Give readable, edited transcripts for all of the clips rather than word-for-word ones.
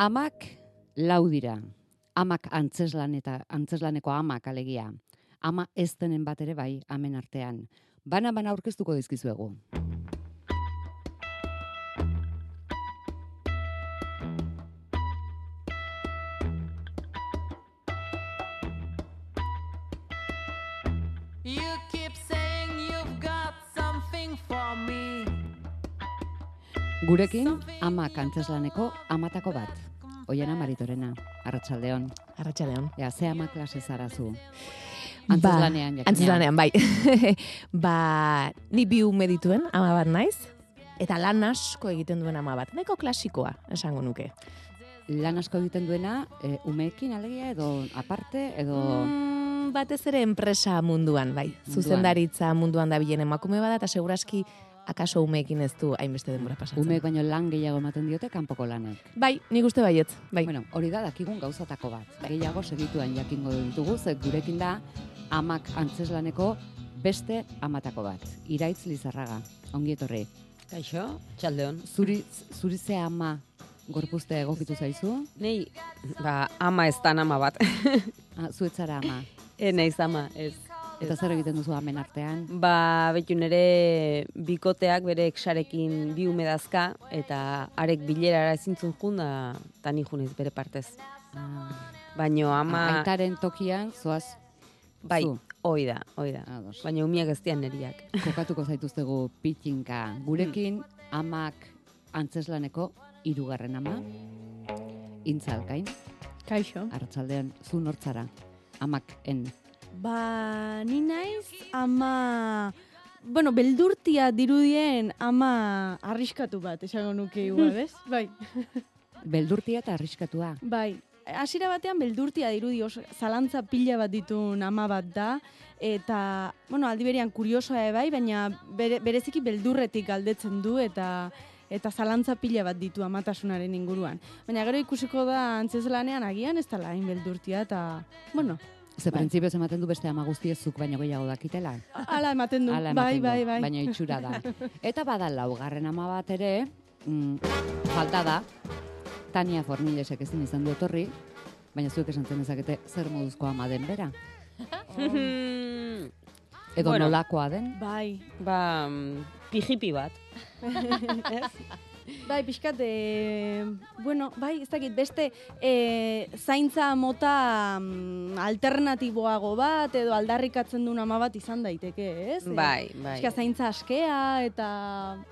Amak lau dira. Amak antzeslaneko amak alegia. Ama ez denen bat ere bai, amen artean. Bana aurkeztuko dizkizuegu. You keep saying you've got something for me. Gurekin, amak antzeslaneko amatako bat. Oiana Maritorena, arratsaldeon. Arratsaldeon. Ea, ze ama klase zarazu? Antzeslanean, jakina. Antzeslanean, bai. Ni bi ume dituen ama bat naiz, eta lan asko egiten duen ama bat. Nahiko klasikoa, esango nuke. Lan asko egiten duena, umeekin alegia edo aparte, edo... Batez ere enpresa munduan, bai. Zuzendaritza munduan da bilen emakume bada, eta seguraski akaso umeekin ez du hainbeste denbora pasatzen. Umeek baino lan gehiago ematen diote kanpoko lanek. Bai, nik uste baietz. Bai. Bueno, hori da dakigun gauzatako bat. Gehiago segituan jakingo ditugu, ze gurekin da amak antzeslaneko beste amatako bat. Iraitz Lizarraga, ongi etorri. Kaixo, txaldeon. Zuri ze ama gorpuzte egokitu zaizu? Nei, ama ez da ama bat. Zuetzara ama. Naiz ama, ez. Eta zer egiten duzu amen artean? Betu nere bikoteak bere exarekin bi ume dazka, eta arek bilerara ezintzun jun da ni junez bere partez. Baina ama... Aitaren tokian, zoaz bai, zu. Hoi da. Ados. Baina umiak ez dian neriak. Kokatuko zaituztegu pitxinka. Gurekin amak antzeslaneko 3. ama, Intzalkain. Kaixo. Arratsaldean, zu nortzara, amak en. Ni naiz ama... Bueno, beldurtia dirudien ama arriskatu bat, esango nuke igual, ez? Bai. Beldurtia eta arriskatua. Bai. Hasiera batean beldurtia dirudi, zalantza pila bat ditun ama bat da, eta, bueno, aldi berean kuriosoa bai, baina bereziki beldurretik galdetzen du, eta zalantza pila bat ditu amatasunaren inguruan. Baina gero ikusiko da antzeslanean agian ez dela hain beldurtia, eta, bueno... Ze printzipioz ematen du beste ama guztiezuk baino gehiago dakitela. Hala ematen du, bai. Baina itxura da. Eta bada 4. ama bat ere, falta da, Tania Fornilesek ezin izan du etorri, baina zuek esan zen ezakete zer moduzko ama den bera. Edo Bueno, nolakoa den. Bai. Pijipi bat. Bai, pixkat, bueno, bai, ez dakit, beste zaintza mota alternatiboago bat, edo aldarrikatzen duen ama bat izan daiteke, ez? Bai. Pixkat, zaintza askea, eta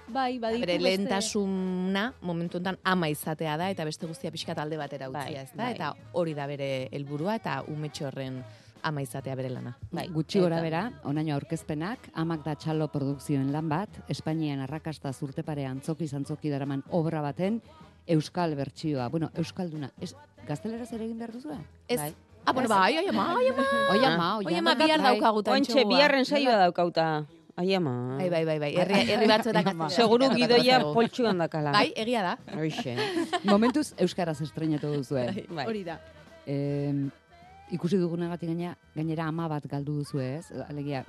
bai, baditu Bere lehentasuna momentu honetan ama izatea da, eta beste guztia pixkat alde batera utzia, ez da? Bai. Eta hori da bere helburua eta umetxo horren ama izatea bere lana. Gutxi gora bera, onaino aurkezpenak, amak da txalo produkzioen lan bat, Espainian arrakasta zurtepare antzoki daraman obra baten, euskal bertsioa. Bueno, euskalduna, gazteleraz ere egin behar duzu? Ez. Bueno, bai, oi ama, bihar daukagutan Ointxe, biharren saioa daukauta. Ai ama. Bai. Herri batzuetan. Seguru gidoia poltsuan dakala. Bai, egia da. Hoixe. Momentuz, euskaraz estrenatu duzue. Hori da. Ikusi dugunagatik gainera ama bat galdu duzu ez? Alegia,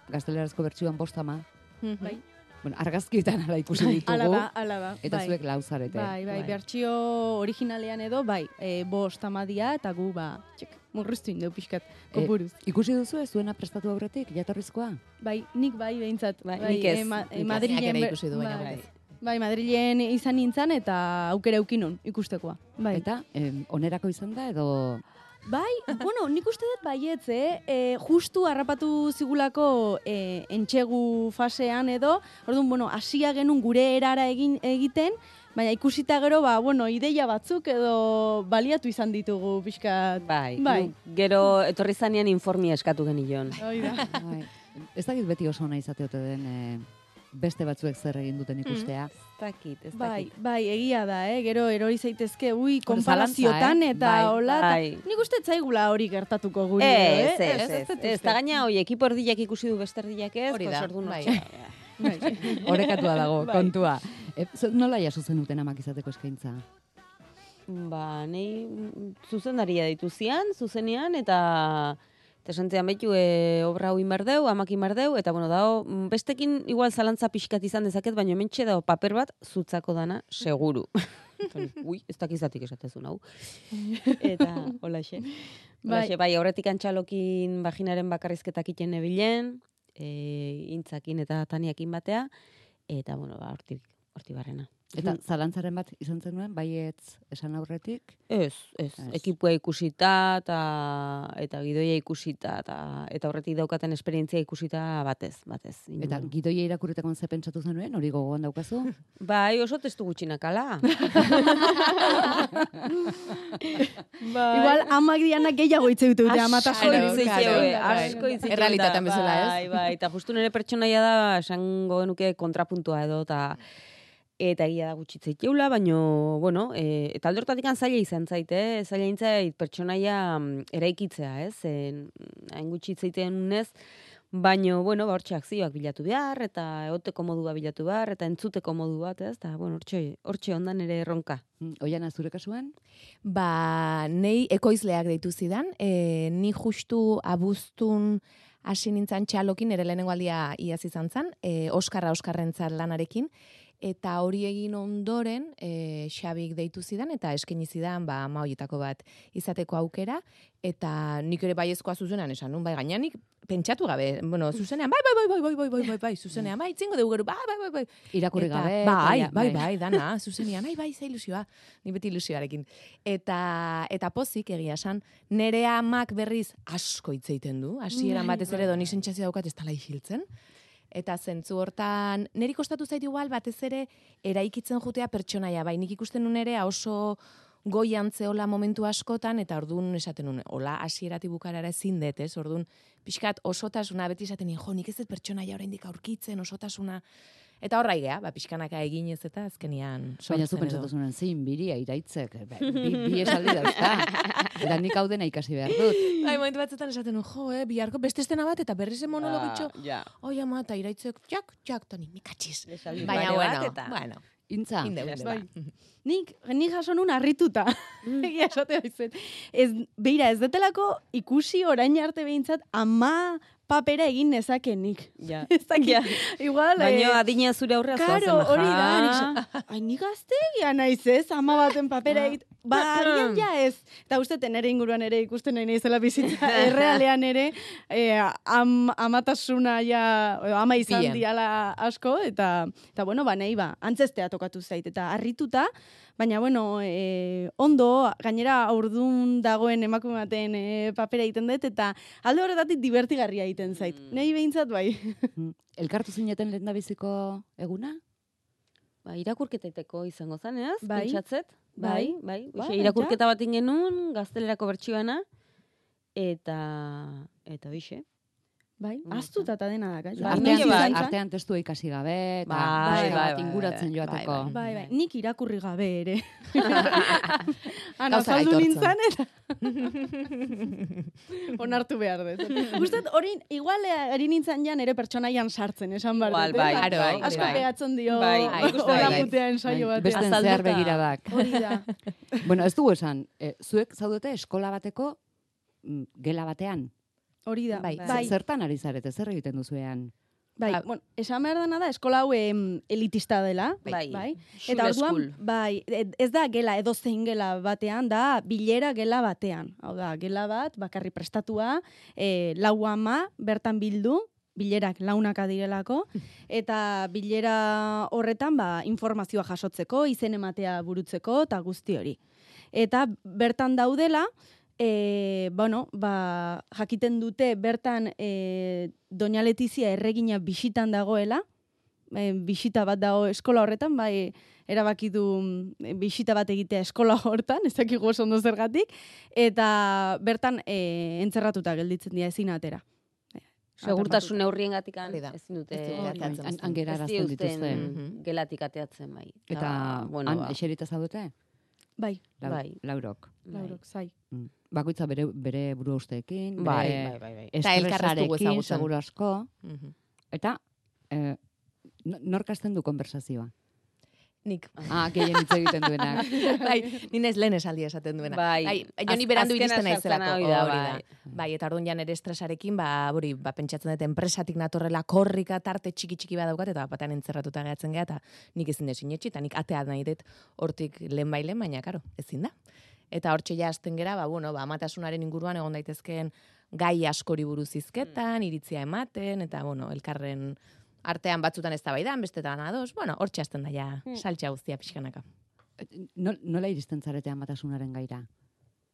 gaztelerazko bertsioan 5 ama. Bai. Bueno, argazkietan ala ikusi ditugu. Ala ba. Eta zuek 4 zarete. Bai, bertsio originalean edo, 5 amadia, eta gu, murriztu indeu pixkat, kopuruz. Ikusi duzu ez zuena prestatu aurretik, jatorrizkoa? Bai, nik behintzat. Nik ez. Madrilen ikusi du, baina Bai, Madrilen izan nintzen eta aukera eukinon ikustekoa. Bai. Eta, onerako izan da edo... Bai, bueno, nik uste dut baietz, justu harrapatu zigulako entxegu fasean edo, orduan, bueno, hasia genuen gure erara egiten, baina ikusita gero, ideia batzuk edo baliatu izan ditugu pixkat. Bai. Gero etorri zanean informia eskatu genion. Bai. Ez dakit beti oso ona izateote den beste batzuek zer egin duten ikustea. Ez dakit. Bai, egia da, gero erori zaitezke, konparaziotan eta hola. Nik uste zaigula hori gertatuko guri. Ez, eta gaina, ekipo erdiak ikusi du beste erdiak ez, hori da, Horekatua dago, kontua. Nola jaso zenuten amak izateko eskaintza? Nei zuzendaria ditu zian, zuzenean, eta santzean behitu obra hau inbardeu, amak inbardeu, eta dao, bestekin igual zalantza pixkat izan dezaket, baina mentxe dao paper bat zutzako dana, seguru. Ui, ez dakizatik esatezun hau. Eta, holaxe. Bai, aurretik antxalokin vaginaren bakarrizketak iten nebilen, intzakin eta taniakin batea, eta, bueno, hortik barrena. Eta zalantzaren bat izan zenuen, baietz esan aurretik? Ez. Ekipua ikusita, eta gidoia ikusita, eta horretik daukaten esperientzia ikusita batez. Eta gidoia irakurritakon ze pentsatu zenuen, hori gogoan daukazu? Bai, oso testu gutxinakala. Igual, amak dianak gehiago hitz dute amatasun. Asko hitz Errealitatean bezala, ez? Bai, eta justu nire pertsonaia da, esango genuke kontrapuntua edo, eta egia da gutxitza iteula, baino, bueno, eta alde hortatik zaila izan zaite, zaila intzait pertsonaia eraikitzea, ez? Hain gutxitza itean unez, baino, bueno, hortxe akzioak bilatu behar, eta egoteko modua bilatu behar, eta entzuteko modu bat, ez? Eta, bueno, hortxe ondan ere erronka. Oiana, zure kasuan? Nei ekoizleak deitu zidan, ni justu abuztun hasi nintzen txalokin, ere lehenengo aldia iaz izan zen, Oskarrentzat lanarekin, eta hori egin ondoren Xabik deitu zidan eta eskaini zidan ama horietako bat izateko aukera, eta nik ere baiezkoa zuzenean esan nun, bai gainean pentsatu gabe, bueno, zuzenean, bai, zuzenean, bai, itzingo dugu gero, bai. Irakurri gabe. Bai, dana, zuzenean, bai, ze ilusioa, ni beti ilusioarekin. Eta pozik egia esan, nere amak berriz asko hitz egiten du, hasieran batez ere doni sentsazio daukat ez dela isiltzen. Eta zentzu hortan, niri kostatu zait igual batez ere eraikitzen jutea pertsonaia, bai, nik ikusten nun ere oso goian zeola momentu askotan, eta ordun esaten nun, hola hasieratik bukarara ezin dut, ez? Ordun pixkat osotasuna beti esaten nien, jo, nik ez dut pertsonaia oraindik aurkitzen, osotasuna. Eta horra igea, pixkanaka eginez eta azkenian sortzen. Baina zu pentsatu zuen, zein biria iraitzek, bi esaldi dauzka. Eta nik hau dena ikasi behar dut. Bai, momentu batzutan esaten nun, jo, biharko beste estena bat, eta berriz monologitxo. Oi, ama, eta iraitzek, jak, toni, mikatxiz. Baina, bueno. Intza. Bai. Nik jaso nun harrituta. Egia esate baitzen. Beira, ez detelako ikusi orain arte behintzat ama papera egin nezakenik. Ja. Igual, baina adina zure aurrea zoazen. Karo, hori da. Nik gaztegia naiz ez, ama baten papera egin. Agian ja ez. Eta uste, nere inguruan ere ikusten nahi naizela bizitza. Errealean ere, amatasuna ja, ama izan diala asko, eta bueno, nahi antzestea tokatu zait. Eta harrituta, baina, bueno, ondo, gainera aurdun dagoen emakume baten papera egiten dut, eta alde horretatik divertigarria egiten zait. Nahi behintzat, bai. Elkartu zineten lehendabiziko eguna? Irakurketaiteko izango zanez, Bai. pentsatzet. Bai. Irakurketa bat ingenun, gaztelerako bertsioana, eta bixe. Bai, aztuta eta dena da. Artean testua ikasi gabe, eta inguratzen joateko. Bai, nik irakurri gabe ere. Ana, Gauza saldu aitortzen. nintzen, eta onartu behar dut. Gustat, hori, igual ari nintzen jan ere pertsonaian sartzen, esan behar dut. Bai. Asko pegatzen dio, ikusten hola bai. putea ensaio batean. Besten zehar begiradak. Hori da. Bueno, ez dugu esan, zuek zaudete eskola bateko gela batean? Hori da. Bai. Zertan ari zarete, zer egiten duzuean? Bai, bueno, esan behar dana da, eskola hau elitista dela. Bai. Eta orduan, bai, ez da gela edo zein gela batean, da bilera gela batean. Hau da, gela bat, bakarri prestatua, lau ama bertan bildu, bilerak launaka direlako, eta bilera horretan informazioa jasotzeko, izen ematea burutzeko, eta guzti hori. Eta bertan daudela, jakiten dute bertan Doña Letizia erregina bisitan dagoela, bisita bat dago eskola horretan, bai erabaki du bisita bat egitea eskola hortan, ez dakigu oso ondo zergatik, eta bertan entzerratuta gelditzen dira ezin atera. Segurtasun neurriengatik ezin dute angerarazten dituzte. Gelatik ateatzen bai. Eta han eserita zaudete? Bai. Laurok. Laurok, zai. Bakoitza bere buru usteekin, Bai. Eta elkarreztugu estresarekin, ezagutzen. seguru asko. Eta nork hasten du konversazioa? Nik. Gehien hitz egiten duenak. Bai, ninez lehen esaldi esaten duena. Bai. Joni berandu Azkena iristen sartzen naizelako. hori da, Hori bai. da. Bai, eta orduan ja nere estresarekin, pentsatzen dut enpresatik natorrela korrika tarte txiki badaukat, eta batean entzerratuta gehatzen geha, eta nik ezin desin etxi, eta nik atea nahi dut hortik lehen, baina, karo, ezin da. Eta hortxe ja hasten gera, amatasunaren inguruan egon daitezkeen gai askori buruz hizketan, iritzia ematen, eta, elkarren artean batzutan eztabaidan, bestetan ados, hortxe hasten da ja saltxa guztia pixkanaka. Nola iristen zarete amatasunaren gaira?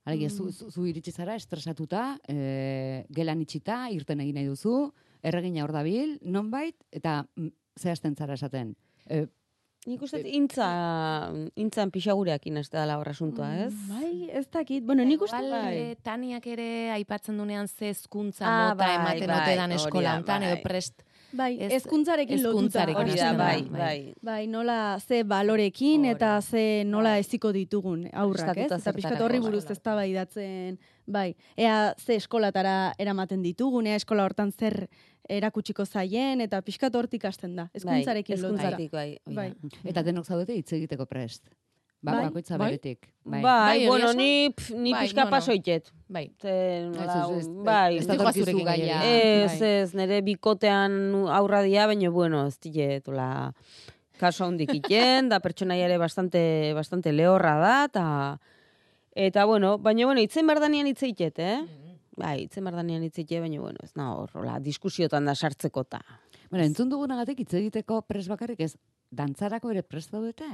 Alegia, zu iritsi zara, estresatuta, gelan itxita, irten egin nahi duzu, erregina hor dabil, nonbait, eta zehazten zara esaten. Nik uste intzan pixagureakin ez dela horra asuntua, ez? Bai, ez dakit. Bueno, nik uste Taniak ere aipatzen dunean ze hezkuntza mota ematen ote dan eskola hontan, edo prest. Bai, hezkuntzarekin lotuta. Hori da, bai. Bai, nola ze balorekin eta ze nola eziko ditugun aurrak, ez? Eta pixkat horri buruz eztabaidatzen, bai. Ea ze eskolatara eramaten ditugun, ea eskola hortan zer erakutsiko zaien, eta pixkat hortik hasten da. Hezkuntzarekin lotuta. Bai. Eta denok zaudete hitz egiteko prest. Bakoitza beretik. Bai, ni pixka pasoitet. Bai. Bai, ez da torkizu gaia. Ez, nire bikotean aurra dia, baina, ez dile, kaso handik iten, da pertsonaia ere bastante lehorra da, eta, baina, itzen berdanean hitz eitet, Bai, itzen berdanean hitz eitet, baina, ez na horrola, diskusiotan da sartzekota. Entzun dugunagatik hitz egiteko pres bakarrik ez, dantzarako ere prest daudete?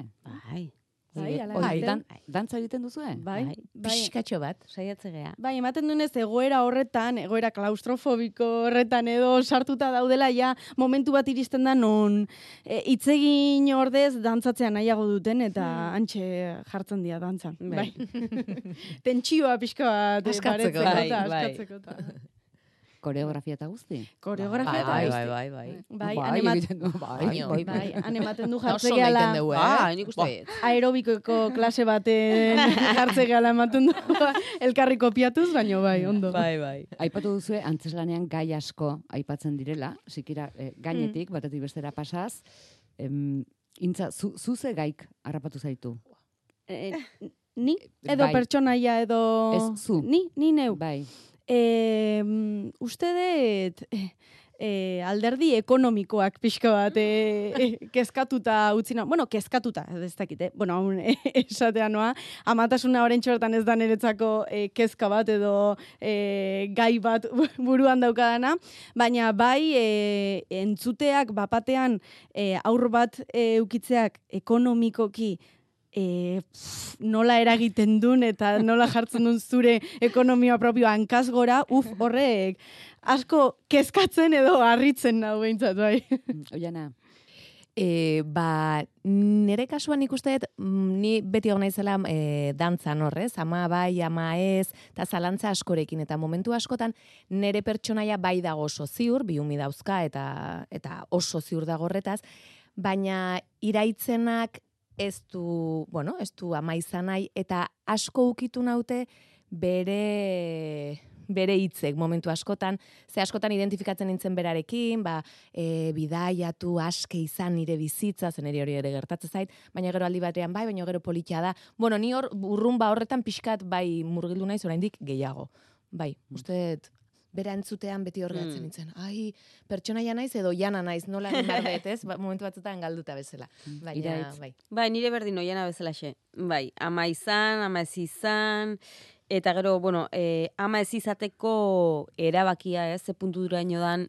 Bai. Dantza egiten duzue? Bai. Pixkatxo bat. Saiatze gea. Bai, ematen dunez egoera horretan, egoera klaustrofobiko horretan edo sartuta daudela ja momentu bat iristen da non hitzegin ordez dantzatzea nahiago duten eta antxe jartzen dira dantzan. Bai. Tentsioa pixka bat askatzeko. Koreografia eta guzti? Koreografia eta guzti. Bai, han ematen du jartze gehala. Nik uste. Aerobikoko klase baten jartze gehala ematen du. Elkarri kopiatuz, baina bai, ondo. Bai. Aipatu duzue, antzeslanean gai asko aipatzen direla, sikira gainetik, batetik bestera pasaz. Intza, zuze gaik harrapatu zaitu? Ni? Edo pertsonaia, edo... Ez, zu? Ni neu. Bai. Uste dut alderdi ekonomikoak pixka bat kezkatuta utzina. Bueno, kezkatuta, ez dakit, esatea noa. Amatasuna orentxo hortan ez da niretzako kezka bat edo gai bat buruan daukadana. Baina bai entzuteak bapatean aur bat eukitzeak ekonomikoki nola eragiten duen eta nola jartzen duen zure ekonomia propioa hankaz gora, horrek asko kezkatzen edo harritzen nahu behintzat, bai. Oiana. Nere kasuan ikusteet, ni beti hona izela dantzan horrez, ama bai, ama ez, eta zalantza askorekin, eta momentu askotan nere pertsonaia bai dago oso ziur, biumi dauzka eta oso ziur dago horretaz, baina iraitzenak ez du ama izan nahi, eta asko ukitu naute bere hitzek momentu askotan, ze askotan identifikatzen nintzen berarekin, bidaiatu aske izan nire bizitza, zen hori ere gertatzen zait, baina gero aldi batean bai, baina gero politia da. Ni hor urrunba horretan pixkat bai murgildu naiz oraindik gehiago. Bai, uste bera entzutean beti horregatzen nintzen. Ai, pertsonaia naiz edo jana naiz, nola egin ez? Momentu batzutan galduta bezala. Bai, nire berdin oiana bezala xe. Bai, ama izan, ama ez izan, eta gero, ama ez izateko erabakia, ze punturaino dan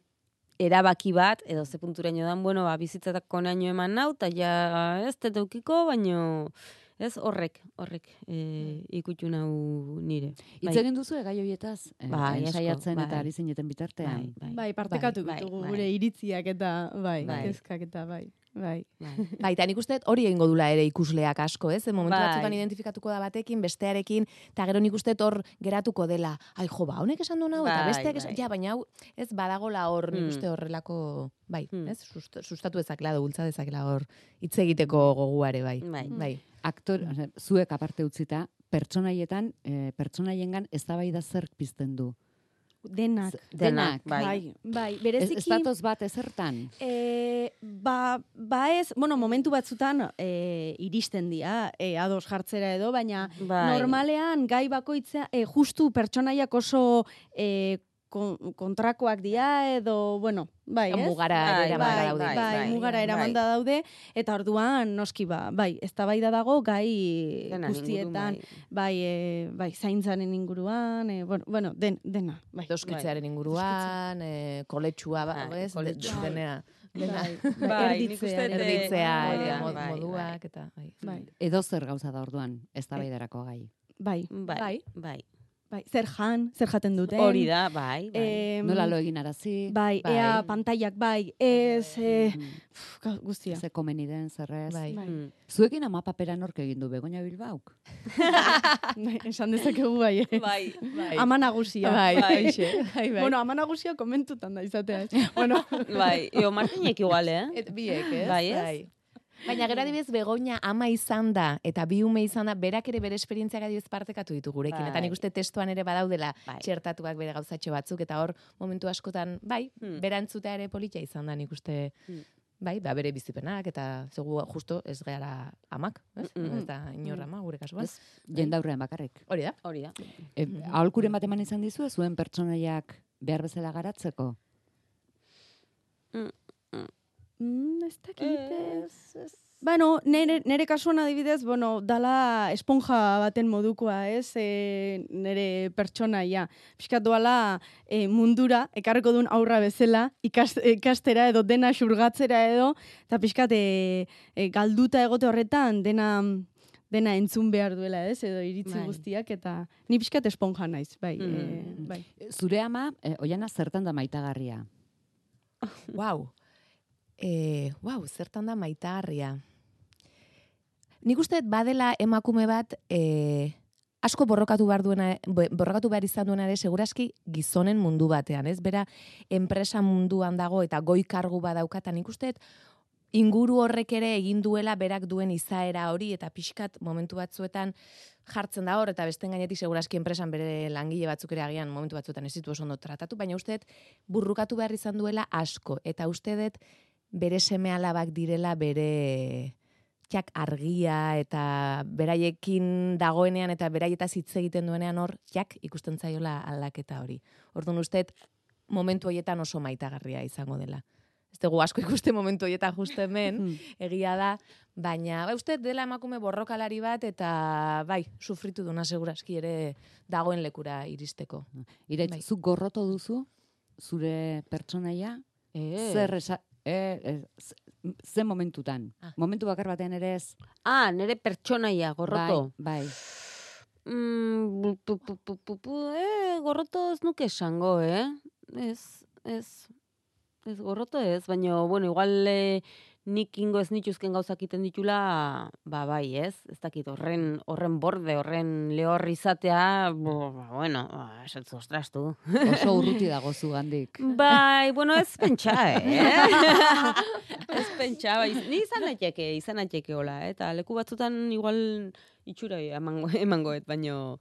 erabaki bat, edo ze punturaino dan, bizitzatako naino eman nau, eta ja ez teteukiko, baino... Ez, horrek ikutu nau nire. Hitz egin duzu gai horietaz? Ensaiatzen eta ari zineten bitartean? Bai, partekatu ditugu gure iritziak eta kezkak eta bai. Eta nik uste hori egingo dula ere ikusleak asko, ez? Momentu batzutan identifikatuko da batekin, bestearekin, eta gero nik uste hor geratuko dela. Ai, honek esan du nau, eta besteak esan, baina hau, ez badagola hor nik uste horrelako, ez? Sustatu dezakela, bultza dezakela hor, hitz egiteko goguare, bai. Zuek aparte utzita, pertsonaiengan eztabaida zerk pizten du? denak. Denak. Bai. Bai, Ez bereziki... datoz bat ezertan. Ba ez, bueno, momentu batzutan iristen dira, ados jartzera edo, baina Bai. normalean gai bakoitzea, justu pertsonaiak oso kontrakoak dira edo, bueno, bai, ez? Mugara ere eramanda daude. Bai, mugara eramanda daude, eta orduan, noski bai, eztabaida dago gai Denaren guztietan, ingurun, bai, zaintzaren inguruan, bueno, dena, bai. Doskitzearen inguruan, koletsua, ez? koletsua. Denea. Bai, nik uste dut, Erditzea hori ere da, bai, moduak, eta Bai, Edo zer gauza da orduan, eztabaidarako gai. bai, Bai, bai. bai, zer jaten duten. Hori da, bai, bai. Nola lo egin arazi, Bai, Bai. ea pantaiak bai, ez, guztia. ze komeni den, zerrez. Bai. Mm. Zuekin ama papera nork egin du, Begoña Bilbauk? Bai, esan dezakegu bai, Bai, bai. ama nagusia. Bai, Bai. haixe. Bai, bai. Bueno, ama nagusia komentutan da izatea. Bueno, bai. Martinek igual, Biek, ez? Bai, ez? Baina gero adibidez Begoña ama izan da eta bi ume izan da, berak ere bere esperientziak adibidez partekatu ditu gurekin. Bai. Eta nik uste testuan ere badaudela Bai. txertatuak bere gauzatxo batzuk, eta hor momentu askotan, bai, berantzutea ere politia izan da nik uste, bai, bere bizipenak, eta zegu justo ez gehala amak, ez? Ez da inor ama gure kasuan. Ez, jendaurrean bakarrik. Hori da. Hori da. Aholkuren bat eman izan dizu, zuen pertsonaiak behar bezala garatzeko? ez dakit. Bueno, nere kasuan adibidez, bueno, dala esponja baten modukoa, ez? Nere pertsonaia. Piskat doala mundura, ekarreko duen aurra bezala, ikastera edo dena xurgatzera edo, eta piskat galduta egote horretan dena entzun behar duela, ez? Edo iritzi guztiak, eta ni piskat esponja naiz, bai. Bai. Zure ama, Oiana, zertan da maitagarria? Wow. Zertan da maitagarria. Nik uste badela emakume bat asko borrokatu behar izan duena ere seguraski gizonen mundu batean, ez? Bera enpresa munduan dago eta goi kargu badauka, eta nik uste inguru horrek ere egin duela berak duen izaera hori, eta pixkat momentu batzuetan jartzen da hor, eta besten gainetik seguraski enpresan bere langile batzuk ere agian momentu batzuetan ez ditu oso ondo tratatu, baina uste burrukatu behar izan duela asko, eta uste bere seme-alabak direla bere txak argia eta beraiekin dagoenean eta beraietaz hitz egiten duenean hor txak ikusten zaiola aldaketa hori. Orduan uste momentu horietan oso maitagarria izango dela. Ez dugu asko ikuste momentu horietan justu hemen, egia da, baina uste dela emakume borrokalari bat eta bai, sufritu duna seguraski ere dagoen lekura iristeko. Iraitz, zuk gorroto duzu, zure pertsonaia? Ze momentutan? Momentu bakar batean ere ez? Nere pertsonaia, gorroto. Bai. Gorroto ez nuke esango, Ez gorroto ez, baina, bueno, igual nik ingo ez nituzken gauzak iten ditula, bai, ez dakit, horren borde, horren lehor izatea, bueno, esatzu, ostras, tu. Oso urruti dago zugandik. Bai, bueno, ez pentsa, Ez pentsa, bai, ni izan naiteke hola, eta leku batzutan igual itxura emangoet, baina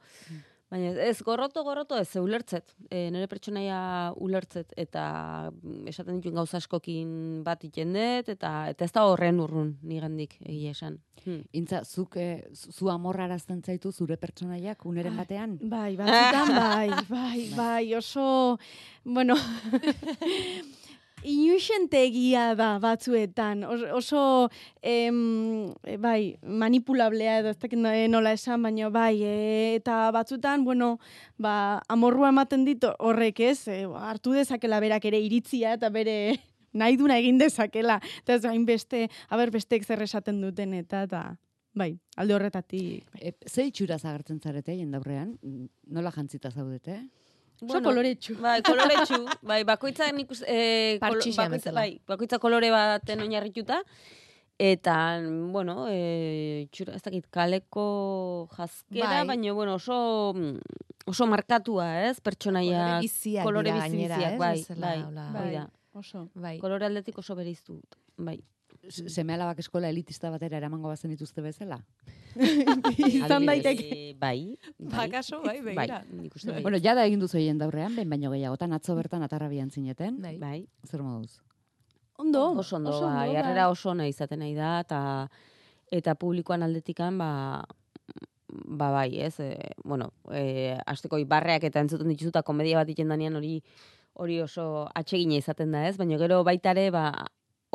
ez gorroto ez, ulertzet. Nire pertsonaia ulertzet, eta esaten dituen gauza askokin bat ikendet, eta ez da horren urrun nigandik egia esan. Intza, zuk zu amorrarazten zaitu zure pertsonaiak uneren batean? Bai, batzutan bai, oso, bueno, inusentegia da batzuetan, oso bai, manipulablea edo ez dakit nola esan, baina bai, eta batzuetan, bueno, amorrua ematen dit horrek ez, hartu dezakela berak ere iritzia eta bere nahi duna egin dezakela, eta ez hainbeste, besteek zer esaten duten eta bai, alde horretatik. Ze itxuraz agertzen zarete jendaurrean? Nola jantzita zaudete? Oso koloretsu. Bai, koloretsu. Bai, bakoitza bakoitza kolore baten oinarrituta. Eta, bueno, ez dakit, kaleko jazkera, baina, bueno, oso markatua, ez? Pertsonaia, kolore biziak, bai. Oso. Kolore aldetik oso bereiztu, bai. seme-alabak eskola elitista batera eramango bazen dituzte bezala? Izan Adibidez. daiteke. Bai. Bakaso, bai, begira. Nik uste bai. Bueno, jada egin duzu hien daurrean, behin baino gehiagotan, atzo bertan atarrabian zineten. Bai. Bai. Zer moduz? Ondo. Oso ondo, bai, jarrera oso ona izaten nahi da, eta publikoan aldetikan, ba bai, ez, asteko barreak eta entzuten dituzuta komedia bat iten danean hori oso atsegina izaten da, ez? Baina gero baitare,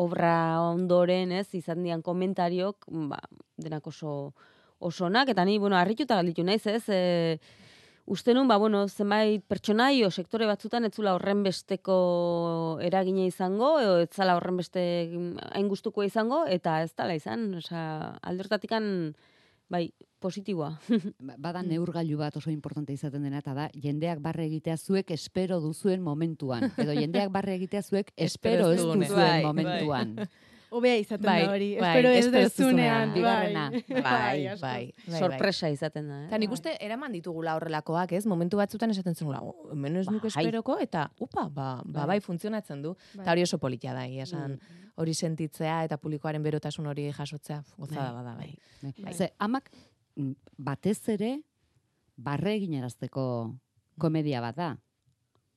obra ondoren, ez, izan dian komentariok, denak oso onak, eta ni, harrituta galditu naiz, ez, uste nun, zenbait pertsonai o sektore batzutan etzula horren besteko eragina izango, ez zala horren beste hain gustukoa izango, eta ez dala izan, aldortatikan, bai, positiboa. Bada neurgailu bat oso importante izaten dena, eta da, jendeak barre egitea zuek espero duzuen momentuan. Edo jendeak barre egitea zuek espero ez duzunean. duzuen momentuan. Hobea izaten Bai, da hori. bai, Espero ez espero ez dezunean. Bigarrena. Asko. Bai. Sorpresa izaten da, Eta nik uste eraman ditugula horrelakoak, ez? Momentu batzutan esaten zenula, hemen ez nuke Bai. esperoko, eta bai, funtzionatzen du. Eta hori oso politia da, esan hori sentitzea eta publikoaren berotasun hori jasotzea, gozada bada, bai. Ze, amak batez ere barre eginarazteko komedia bat da.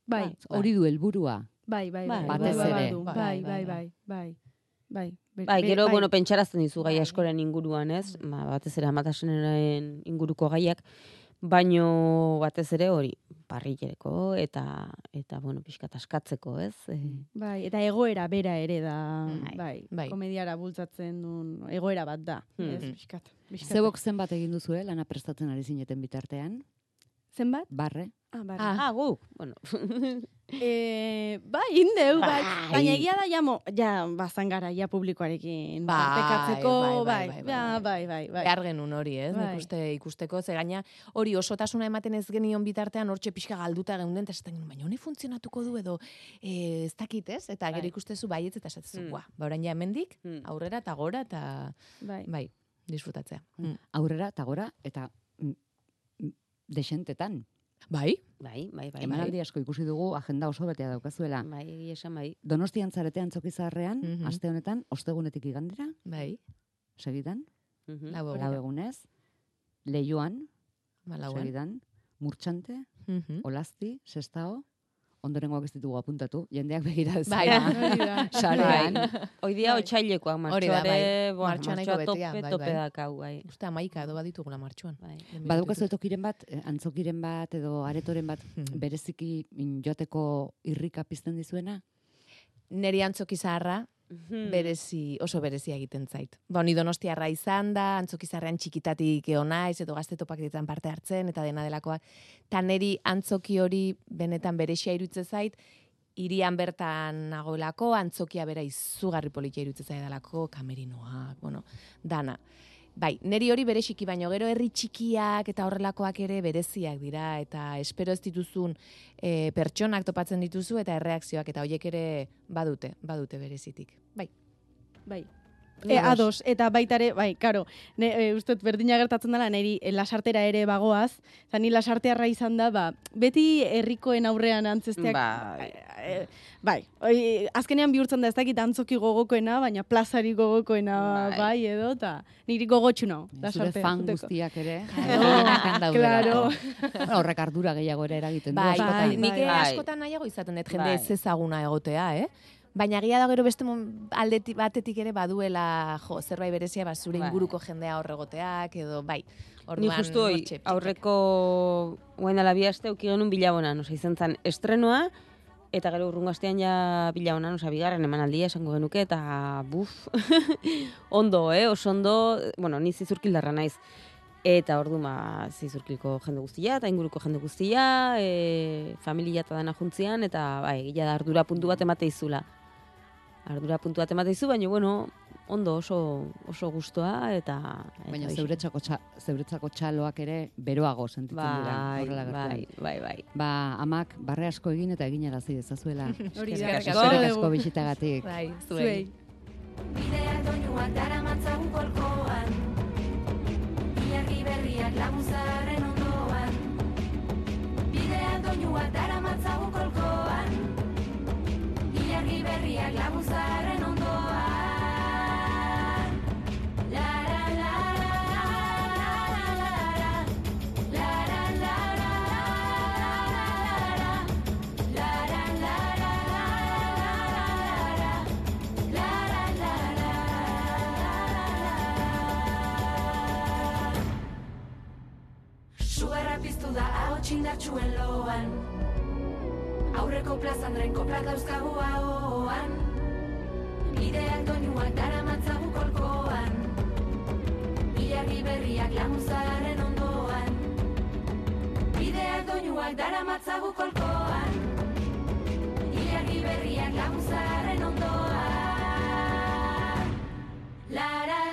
Bai, Hori du helburua. bai. Batez ere. Bai. Gero, pentsarazten dizu gai askoren inguruan, ez? Batez ere amatasunaren inguruko gaiak, baino batez ere hori, parrillereko eta pixkat askatzeko, ez? Bai, eta egoera bera ere da, Bai. komediara bultzatzen duen egoera bat da. Ez, pixkat. Zebok zenbat egin duzue, lana prestatzen ari zineten bitartean? Zenbat? Barre. Barre. Guk, bueno. Bai, indeu, bai. Baina egia da, bazan gara, publikoarekin partekatzeko, bai. Behar genuen hori, ez? Bai. Nik uste ikusteko, ze gaina hori osotasuna ematen ez genion bitartean hortxe pixka galduta geunden, eta esaten genuen, baina honi funtzionatuko du edo ez dakit, ez? Eta gero ikustezu baietz eta esatezu, orain ja hemendik, aurrera eta gora, eta bai, disfrutatzea. Aurrera eta gora, eta desentetan. Bai. Emanaldi asko ikusi dugu, agenda oso betea daukazuela. Bai, egia esan bai. Donostian zaretean Antzokizarrean, aste honetan, ostegunetik igandera, Bai. segidan, Lau lau egunez, Leioan, Malauen. segidan, Murtxante, Olazti, Sestao, ondorengoak ez ditugu apuntatu, jendeak begira ez. Bai. Sarean. Hoi dia otxailekoak, Hori da, bai. martxoa Martxoa nahiko betea, tope bai. dakau, bai. Uste 11 edo baditugula martxuan. Badukazu tokiren bat, antzokiren bat edo aretoren bat, bereziki joateko irrika pizten dizuena? Neri antzoki zaharra, oso berezia egiten zait. Ni Donostiarra izan da, antzoki zaharrean txikitatik naiz, edo gazte topaketetan parte hartzen, eta dena delakoak. Ta neri antzoki hori benetan berezia irutze zait, hirian bertan nagoelako, antzokia bera izugarri politia irutze zait dalako, kamerinoak, dana. Bai, neri hori bereziki, baino gero herri txikiak eta horrelakoak ere bereziak dira, eta espero ez dituzun pertsonak topatzen dituzu, eta erreakzioak, eta horiek ere badute berezitik. Bai. Ados, eta baitare, bai, karo, uste berdina gertatzen dela, niri lasartera ere bagoaz, eta ni lasartearra izan da, beti herrikoen aurrean antzesteak, bai, azkenean bihurtzen da ez dakit antzoki gogokoena, baina plazari gogokoena bai edo, eta niri gogotxu nau, lasartea. Zure fan guztiak ere. Claro. Horrek ardura gehiago ere eragiten du. Bai, nik askotan nahiago izaten dut jende ez ezaguna egotea, Baina egia da gero beste aldetik batetik ere baduela zerbait berezia zure inguruko jendea horregoteak edo bai. Ni justu aurreko guain dela bi aste uki genuen Bilabonan, izan zen estrenoa, eta gero urrungo astean ja Bilabonan, bigarren emanaldia esango genuke, eta ondo, oso ondo, ni zizurkildarra naiz. Eta ordu zizurkilko jende guztia, eta inguruko jende guztia, familia eta dana juntzian, eta egia da ardura puntu bat emate izula. Ardura puntu bat emate izu, baina, ondo oso gustoa, eta... Baina zeuretzako txaloak ere beroago sentitzen dira. Horrela gertu. Bai. Amak barre asko egin eta egin arazi dezazuela. Hori da. Eskerrik asko bisitagatik. Bai, zuei. Bideak doinuak daramatzagun kolkoan, ilargi berriak laguzaren ondoan. Bideak doinuak daramatzagun kolkoan, ilargi berriak laguzaren ondoan. Gitarra piztu da ahots indartsuen loan. Aurreko plazandren koplak dauzkagu ahoan. Bideak doinuak daramatzagu kolkoan. Ilargi berriak laguntzaren ondoan. Bideak doinuak daramatzagu kolkoan. Ilargi berriak laguntzaren ondoan. Lara